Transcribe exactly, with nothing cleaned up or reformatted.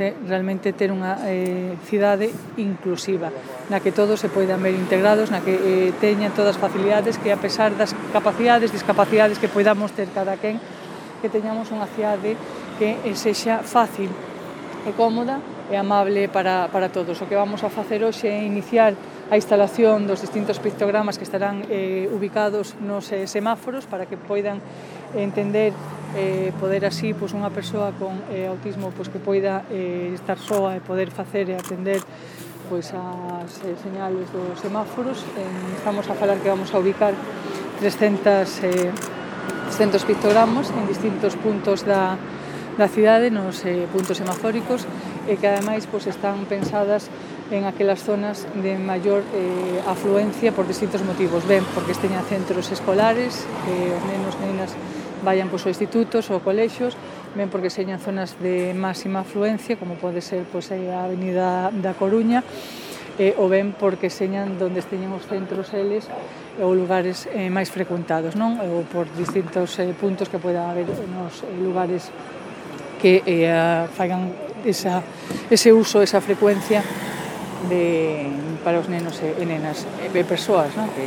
realmente ter unha eh, cidade inclusiva, na que todos se poidan ver integrados, na que eh, teñan todas as facilidades, que a pesar das capacidades, discapacidades que poidamos ter cada quen, que teñamos unha cidade que eh, sexa fácil e cómoda e amable para, para todos. O que vamos a facer hoxe é iniciar a instalación dos distintos pictogramas que estarán eh, ubicados nos eh, semáforos para que poidan entender eh, poder así pois, unha persoa con eh, autismo pois, que poida eh, estar soa e poder facer e atender pois, as eh, señales dos semáforos. Eh, estamos a falar que vamos a ubicar trescentos, eh, trescentos pictogramas en distintos puntos da, da cidade, nos eh, puntos semafóricos, e que ademais pois, están pensadas en aquelas zonas de maior eh, afluencia por distintos motivos. Ben, porque teñan centros escolares, que os nenos e nenas vayan pois, aos institutos ou colexios, ben porque señan zonas de máxima afluencia, como pode ser pois, a Avenida da Coruña, eh, ou ben porque señan donde teñen os centros eles ou lugares eh, máis frecuentados, non? Ou por distintos eh, puntos que poida haber nos eh, lugares que eh, fagan esa, ese uso, esa frecuencia de, para os nenos e nenas e persoas, non? Que